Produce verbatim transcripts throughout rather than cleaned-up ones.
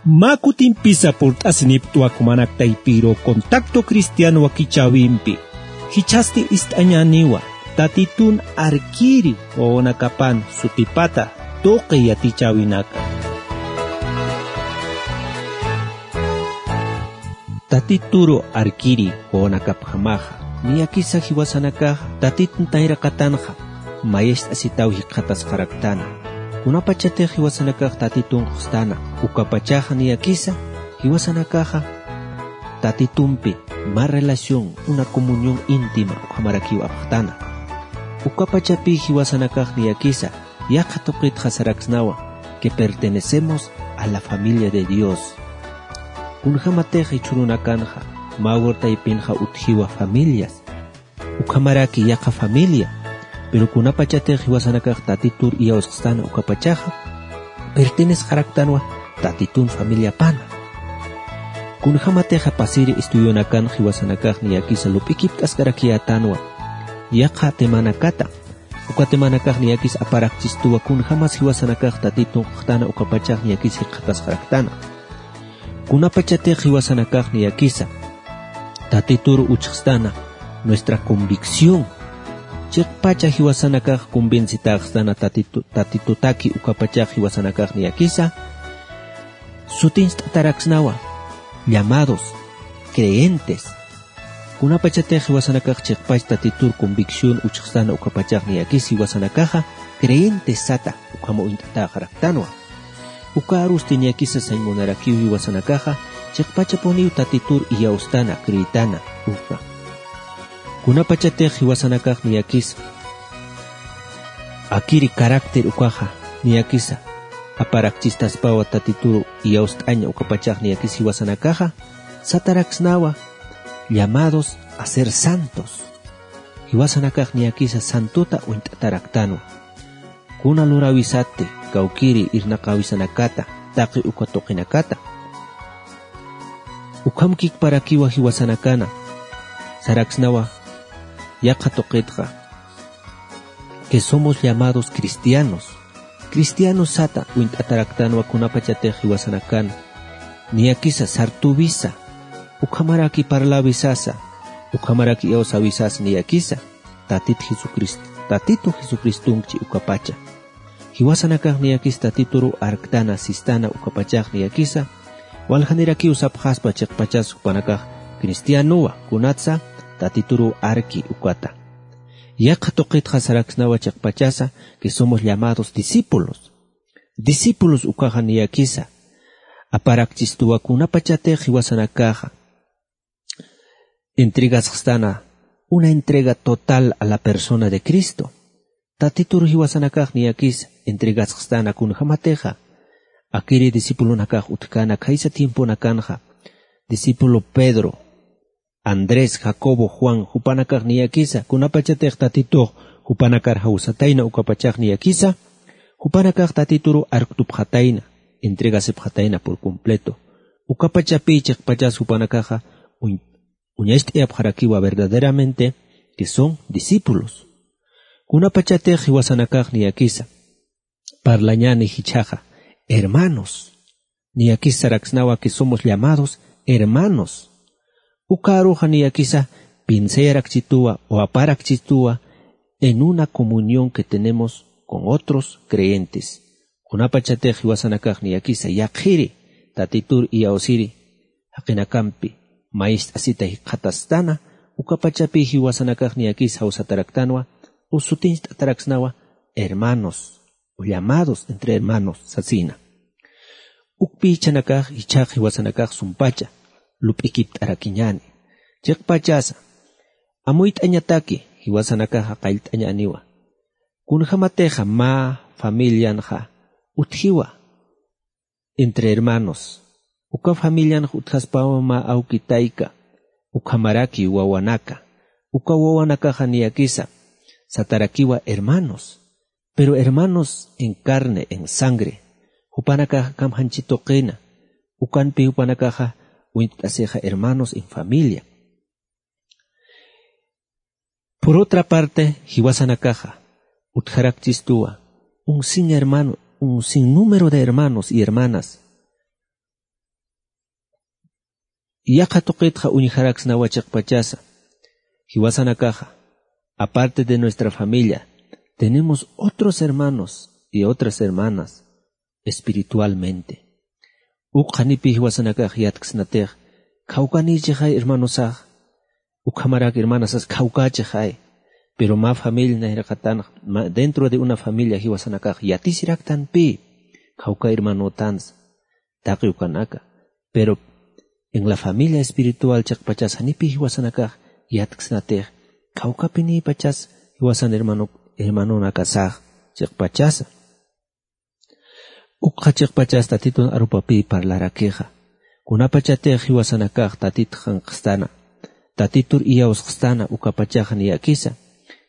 Mä kutimpisa purt'asiniptwa jumanak taypiru Contacto Cristiano wakichäwimpi. Jichhasti ist'añäniwa, Tatitun arkiri wawanakapan sutipata tuqi yatichäwinaka. Tatituru arkiri wawanakapjamaxa, niyakisa jiwasanakaxa Tatitun tayraqatanxa, mayist'asitaw jikxatasxaraktana. Kunapachatix jiwasanakax Tatitun q'uxtana, ukapachaxa niyakisa jiwasanakaxa Tatitumpi mä relación, una comunión íntima ukhamarakiw apxtana. Ukapachapï jiwasanakax niyakisa yaqha tuqitxa saraksnawa que pertenecemos a la familia de Dios. Kunjamatix jichhürunakanxa, mä wayra taypinxa utjiwa familias, ukhamaraki yaqha familia, pero kunapachatix jiwasanakax Tatitur iyawsxstana ukapachaxa, pertenesxaraktanwa Tatitun familiapana. Kunjamatixa pasiri estudionakan jiwasanakax niyakisa lup'ikipt'askarakiyätanwa yaqha temanakata, uka temanakax niyakis aparakchistuwa kunjamas jiwasanakax Tatitun q'uxtana ukapachax niyakis jikxatasxaraktana. Kunapachatix jiwasanakax niyakisa Tatitur uchxstana nuestra convicción. Chiqpacha jiwasanakax convencitäxstana Tatitu-, Tatitutaki ukapachax jiwasanakax niyakisa sutincht'ataraksnawa llamados, creyentes. Kunapachatix jiwasanakax chiqpach Tatitur convicción uchxstana ukapachax niyakis jiwasanakaxa creyentes sata ukhama uñt'atäxaraktanwa. Uka arusti niyakisa sañ munarakiw jiwasanakaxa chiqpachapuniw Tatitur iyawstana, creetana, uka. Kunapachatix jiwasanakax niyakisa akiri carácter ukaxa niyakisa aparakchistaspawa Tatituru iyawst'aña ukapachax niyakis jiwasanakaxa sataraksnawa llamados a ser santos. Jiwasanakax niyakisa santota uñt'ataraktanwa. Kuna luräwisati kawkiri irnaqäwisanakata, taqi uka tuqinakata. Ukham kikparakiwa jiwasanakana saraksnawa yaqha tuqitxa que somos llamados cristianos. Cristianos sata uñt'ataraktanwa kunapachatix jiwasanakan niyakisa sartüwisa, ukhamaraki parläwisasa, ukhamaraki iyawsäwisasa niyakisa Tatit Jesucristo, Tatitu Jesucristonkchi ukapacha. Jiwasanakax niyakis Tatituru arktana, sistana ukapachax niyakisa waljanirakiw sapxaspa chiqpachas jupanakax cristianowa, kunatsa Tatituru arki ukata. Yaqha tuqitxa saraksnawa chiqpachasa que somos llamados discípulos. Discípulos ukaxa niyakisa aparakchistuwa kunapachatix jiwasanakaxa entregasxstana una entrega total a la persona de Cristo. Tatitur jiwasanakax niyakis entregasxstana kunjamatixa akiri discipulonakax utjkana khaysa tiemponakanxa, discípulo Pedro, Andrés, Jacobo, Juan, jupanakax niyakisa kunapachatix Tatitux jupanakar jawsatayna ukapachax niyakisa jupanakax Tatituru arktupxatayna, entregasipxatayna por completo. Ukapachapï chiqpachas jupanakaxa uñ-, uñacht'ayapxarakiwa verdaderamente que son discípulos. Kunapachatix jiwasanakax niyakisa parlañäni jichhaxa hermanos. Niyakis saraksnawa que somos llamados hermanos. Uka aruxa niyakisa pinsayarakchituwa o aparakchituwa en una comunión que tenemos con otros creyentes. Kunapachatix jiwasanakax niyakisa yaqhiri Tatitur iyawsiri jaqinakampi mayist'asita jikxatastana, ukapachapï jiwasanakax niyakis jawsataraktanwa o sutincht'ataraksnawa hermanos o llamados entre hermanos sasina. Ukpï jichhanakax jichhax jiwasanakax sumpacha lup'ikipt'arakiñäni. Chiqpachasa amuyt'añataki jiwasanakaxa qallt'añäniwa. Kunjamatixa mä familianxa utjiwa entre hermanos. Uka familianx utjaspawa mä awki tayka, ukhamaraki wawanaka. Uka wawanakaxa niyakisa satarakiwa hermanos. Pero hermanos en carne, en sangre. Jupanakaxa kamjanchi tuqina. Ukanpi jupanakaxa uñt'asixa hermanos en familia. Por otra parte, jiwasanakaxa utjarakchistuwa un sin hermano, un sin número de hermanos y hermanas Yaqha tuqitxa uñjaraksnawa chiqpachasa. Jiwasanakaxa, aparte de nuestra familia, tenemos otros hermanos y otras hermanas espiritualmente. Uk qhanipi jiwasanakax yatksnatix, khawkanïchixay hermanosax, ukhamarak hermanasas khawkächixay. Pero mä familia nayraqatan, mä- dentro de una familia jiwasanakax yatisiraktanpï, khawka hermanotansa, taqi ukanaka. Pero en la familia espiritual chiqpachas janipï jiwasanakax yatksnatix, khawkapinïpachas jiwasan hermano, hermanonakasax chiqpachasa. Ukxa chiqpachas Tatitun arupapï parlarakixa. Kunapachatix jiwasanakax Tatit qhanqstana, Tatitur iyawsqstana ukapachaxa niyakisa,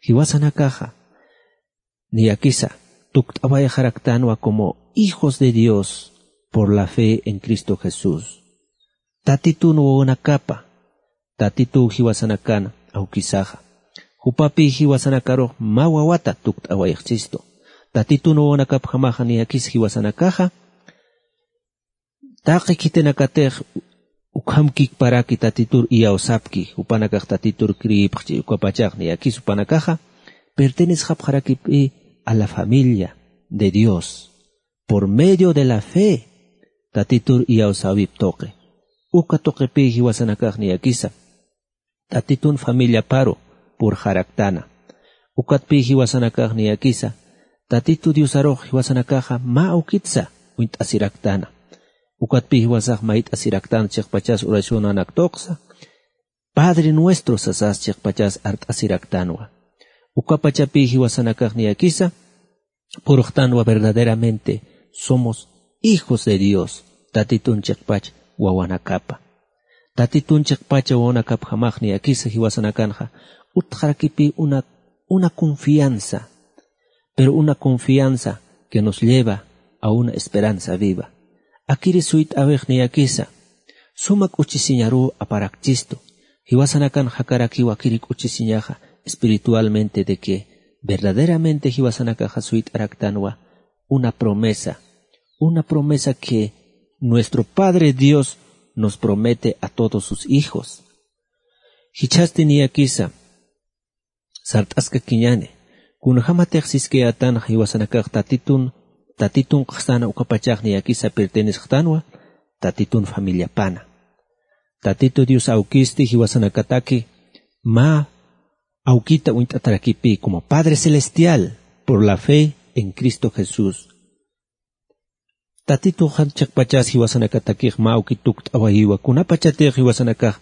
jiwasanakaxa niyakisa tukt'awayxaraktanwa como hijos de Dios por la fe en Cristo Jesús. Tatitun wawanakapa, Tatituw jiwasanakan awkisaxa. Jupapï jiwasanakarux mä wawata tukt'awayxchistu. Tatitun wawanakapjamaxa niyakis jiwasanakaxa, taqi khitinakatix ukham kikparaki Tatitur iyawsapki, jupanakax Tatitur creepxchi, ukapachax niyakis jupanakaxa pertenesxapxarakipï a la familia de Dios por medio de la fe, Tatitur iyawsäwip tuqi. Uka tuqipï jiwasanakax niyakisa Tatitun familiaparu purxaraktana. Ukatpï jiwasanakax niyakisa Tatitu Diosarux jiwasanakaxa mä awkitsa uñt'asiraktana. Ukatpï jiwasax mayt'asiraktan chiqpachas oracionanak tuqsa, Padre Nuestro sasas chiqpachas art'asiraktanwa. Ukapachapï jiwasanakax niyakisa purxtanwa verdaderamente somos hijos de Dios, Tatitun chiqpach wawanakapa. Tatitun chiqpach wawanakapjamax niyakisa jiwasanakanxa utjarakipï una, una confianza, pero una confianza que nos lleva a una esperanza viva. Akiri suyt'äwix niyakisa suma k'uchisiñaruw aparakchistu. Jiwasanakan jakarakiw akiri k'uchisiñaxa espiritualmente de que verdaderamente jiwasanakaxa suyt'araktanwa una promesa, una promesa que nuestro Padre Dios nos promete a todos sus hijos. Jichhasti niyakisa sart'askakiñäni, kunjämatix siskayätanxa jiwasanakax Tatitun, Tatitun qhstana ukapachax niyakisa pertenesxtanwa Tatitun familiapana. Tatitu Dios awkisti jiwasanakataki mä awkita uñt'atarakipï como Padre Celestial por la fe en Cristo Jesús. Tatituxa chiqpachas jiwasanakatakix mä awkit tukt'awayiwa kunapachatix jiwasanakax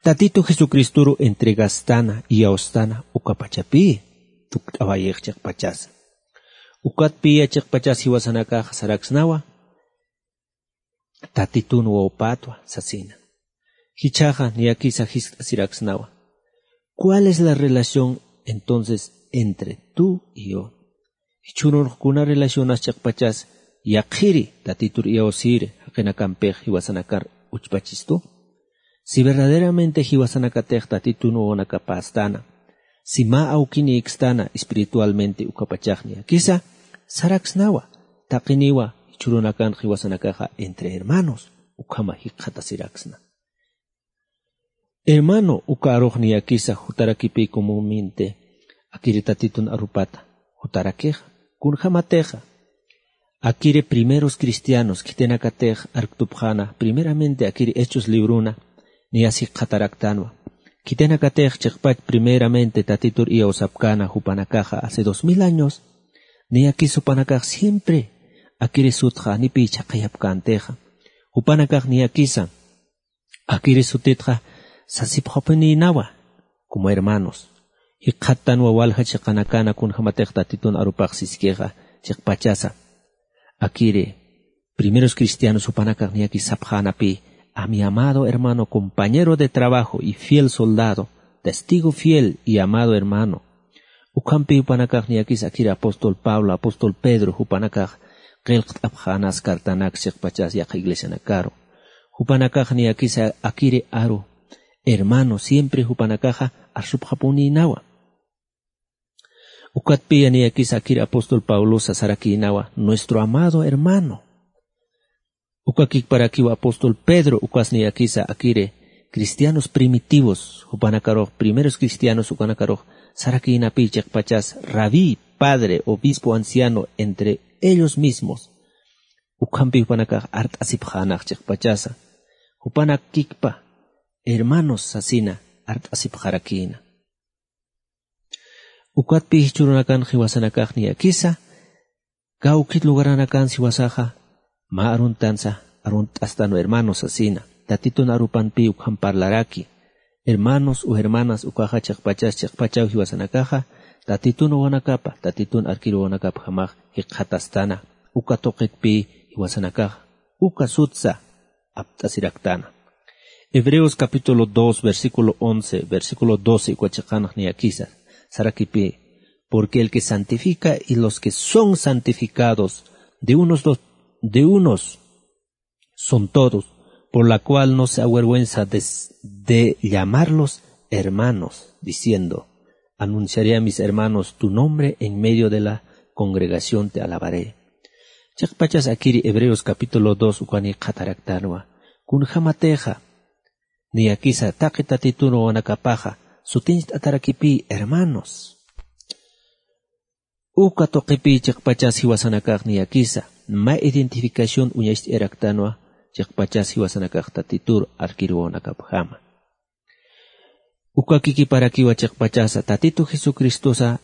Tatitu Jesucristoru entregastana, iyawstana ukapachapï tukt'awayix chiqpachasa. Ukatpïya chiqpachas jiwasanakax saraksnawa, Tatitun wawpätwa sasina. Jichhaxa niyakisa jiskt'asiraksnawa. ¿Cuál es la relación entonces entre tú y yo? Jichhürunx kuna relacionas chiqpachas yaqhiri Tatitur iyawsiri jaqinakampix jiwasanakar uchpachistu? Si verdaderamente jiwasanakatix Tatitun wawanakapästana, si mä awkinïkstana espiritualmente ukapachax niyakisa saraksnawa, taqiniwa jichhürunakan jiwasanakaxa entre hermanos ukhama jikxatasiraksna. Hermano uka arux niyakisa jutarakipï comúnmente akiri Tatitun arupata jutarakixa, kunjämatixa akiri primeros cristianos khitinakatix arktupxäna, primeramente akiri Hechos libruna niyas jikxataraktanwa. Khitinakatix chiqpach primeramente Tatitur iyawsapkäna jupanakaxa hace dos mil años, niyakis jupanakax siempre akiri sutxa janipï chhaqhayapkäntixa. Jupanakax niyakisa akiri sutitxa sasipxapinïnawa como hermanos. Jikxattanwa walja chiqanakana kunjämatix Tatitun arupax siskixa chiqpachasa. Akiri primeros cristianos jupanakax niyakis sapxänapï: A mi amado hermano, compañero de trabajo y fiel soldado, testigo fiel y amado hermano. Ukhampï jupanakax niyakis akiri apóstol Pablo, apóstol Pedro jupanakax qillqt'apxänas cartanak chiqpachas yaqha iglesianakaru. Jupanakax niyakis akiri aru hermano, siempre jupanakaxa arsupxapunïnawa. Ukatpïya niyakis akiri apóstol Pablosa sarakïnawa: Nuestro amado hermano. Uka kikparakiw apóstol Pedro ukas niyakisa akiri cristianos primitivos, jupanakarux primeros cristianos ukanakarux sarakïnapï chiqpachas rabí, padre, obispo, anciano entre ellos mismos. Ukhampi jupanakax art'asipxänax chiqpachasa. Jupanak kikpa hermanos sasina art'asipxarakïna. Ukatpï jichhürunakan jiwasanakax niyakisa, kawkit lugaranakan jiwasaxa, mä aruntansa, arunt'astanwa hermanos sasina. Tatitun arupanpï ukham parlaraki. Hermanos o hermanas ukaxa chiqpachas chiqpachaw jiwasanakaxa, Tatitun wawanakapa, Tatitun arkiruwanakapjamax jikxatastana, uka tuqitpï jiwasanakaxa, uka sutsa apt'asiraktana. Hebreos capítulo dos, versículo once, versículo doce, uka chiqanx niyakisa, sarakipï, porque el que santifica y los que son santificados de unos, dos, de unos son todos, por la cual no se avergüenza de, de llamarlos hermanos, diciendo, anunciaré a mis hermanos tu nombre en medio de la congregación te alabaré. Chiqpachas akiri Hebreos capítulo dos ukani qhataraktanwa. Kunjamatixa niyakisa taqi Tatitun wawanakapaxa sutincht'atarakipï hermanos. Uka tuqipï chiqpachas jiwasanakax niyakisa mä identificación uñacht'ayaraktanwa, chiqpachas jiwasanakax Tatitur arkiruwanakapjama. Uka kikiparakiwa chiqpachasa Tatitu Jesucristosa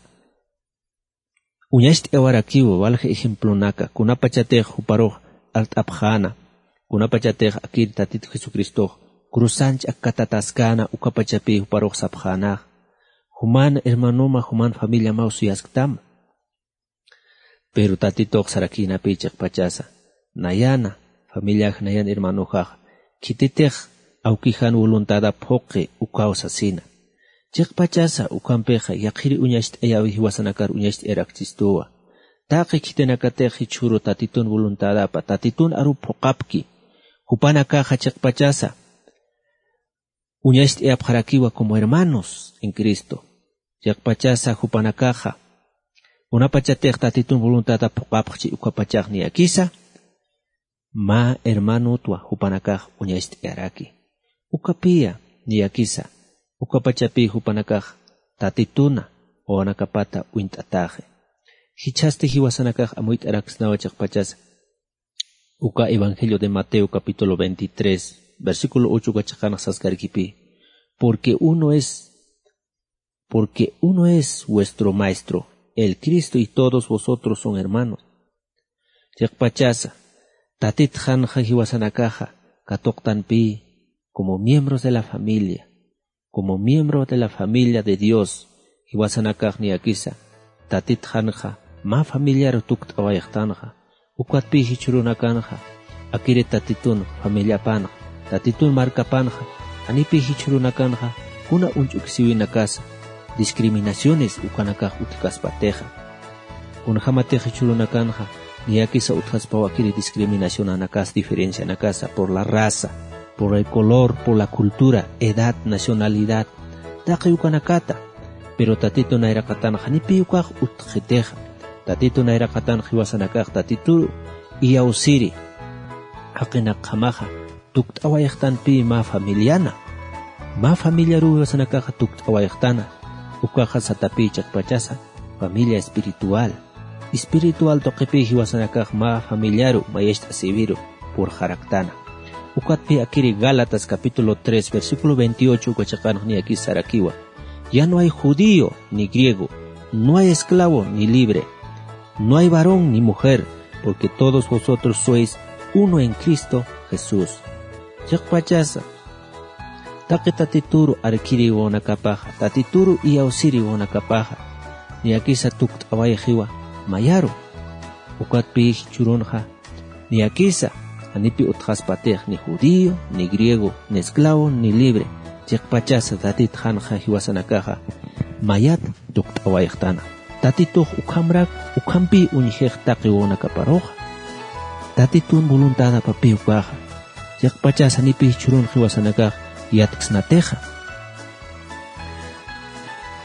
uñacht'ayawarakiwa walja ejemplonaka, kunapachatix juparux art'apxäna, kunapachatix akir Tatitu Jesucristox cruzanch akkatataskäna, ukapachapï juparux sapxänax, juman hermanoma, juman familiamaw suyasktama. Pero Tatitux sarakïnapï chiqpachasa, nayana, familiax, nayan hermanoxax, khititix awkijan voluntadap phuqi ukaw sasina. Chiqpachasa, ukampixa, yaqhiri uñacht'ayawi jiwasanakar uñacht'ayaraksistuwa. Taqi khitinakatix jichhüru Tatitun voluntadapa, Tatitun arup phuqapki, jupanakaxa chiqpachasa, uñacht'ayapxarakiwa como hermanos en Cristo. Chiqpachasa jupanakaxa, kunapachatix Tatitun voluntadap phuqapxchi ukapachax niyakisa, mä hermanotwa jupanakax uñacht'ayaraki. Ukapïya niyakisa, ukapachapï jupanakax Tatituna wawanakapata uñt'ataxi. Jichhasti jiwasanakax amuyt'araksnawa chiqpachasa. Uka Evangelio de Mateo capítulo veintitrés, versículo ocho uka chiqanx saskarkipï, porque uno es, porque uno es vuestro maestro, el Cristo, y todos vosotros son hermanos. Chiqpachasa, Tatitxanxa jiwasanakaxa katuqtanpï como miembros de la familia, como miembro de la familia de Dios, jiwasanakax niyakisa, Tatitxanxa mä familiaru tukt'awayxtanxa, ukatpï jichhürunakanxa, akiri Tatitun familiapanxa, Tatitun markapanxa, janipï jichhürunakanxa kuna uñch'uksiwinakasa, discriminaciones ukanakax utjkaspatixa. Kunjämatix jichhürunakanxa, niyakisa utjaspaw akiri discriminacionanakas, diferencianakasa, por la raza, por el color, por la cultura, edad, nacionalidad, taqi ukanakata. Pero Tatitu nayraqatanxa janipï ukax utjxitixa. Tatitu nayraqatanx jiwasanakax Tatitu iyawsiri jaqinakjamaxa tukt'awayxtanpï mä familiana. Mä familiaruw jiwasanakaxa tukt'awayxtana. Ukaxa satapï chiqpachasa familia espiritual. Espiritual tuqipï jiwasanakax mä familiaru, mayacht'asiwiru purxaraktana. Ukatpï akiri Gálatas capítulo tres, versículo veintiocho uka chiqanx niyakisa sarakiwa. Ya no hay judío ni griego, no hay esclavo ni libre, no hay varón ni mujer, porque todos vosotros sois uno en Cristo Jesús. Chiqpachasa, taqi Tatituru arkiriwanakapaxa, Tatituru iyawsiriwanakapaxa, niyakisa tukt'awayxiwa mayaru. Ukatpï jichhürunxa, niyakisa, janipï utjaspatix ni judío, ni griego, ni esclavo, ni libre, chiqpachasa Tatitxanxa jiwasanakaxa mayat tukt'awayxtana. Tatitux ukhamrak, ukhampï uñjix taqi wawanakaparuxa. Tatitun voluntadapapï ukaxa. Chiqpachasa janipï jichhürun jiwasanakax yatksnatixa.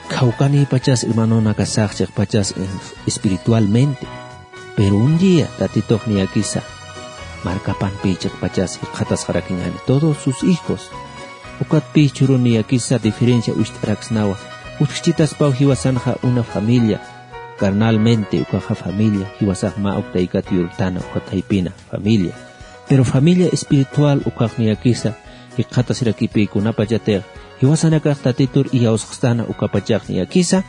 Khawkanïpachas hermanonakasax chiqpachas, eh, espiritualmente. Pero un día Tatitux niyakisa markapanpi chiqpachas jikxatasxarakiñani todos sus hijos. Ukatpï chhuruniyakisa diferencia ucht'araksnawa. Utjchitaspaw jiwasanxa una familia, carnalmente ukaxa familia jiwasax mä uktaykat yurtana ukat jaypina familia. Pero familia espiritual ukaxniyakisa jikxatasirakipï kunapachatix jiwasanakax tatitur iyawsxstana ukapachaxniyakisa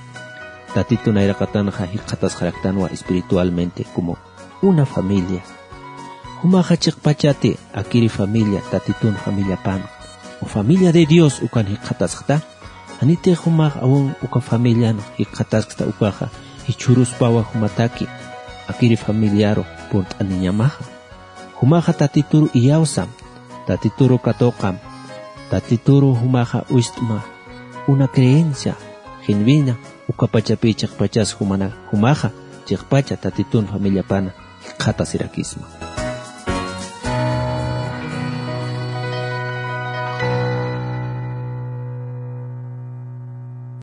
tatitun ayraqatanxa jikxatasxaraktanwa espiritualmente como una familia. Jumaxa chiqpachati akiri familia tatitun familiapan o familia de Dios ukan jikxatasxta. Janitix jumax awun uka familian jikxataskta ukaxa jichhüruspawa jumataki akiri familiaru purt'aniñamaxa. Jumaxa tatituru iyawsam, tatituru katuqam, tatituru jumaxa uyst'ma una creencia genuina ukapachapï chiqpachas jumana jumaxa chiqpacha tatitun familiapana jikxatasirakisma.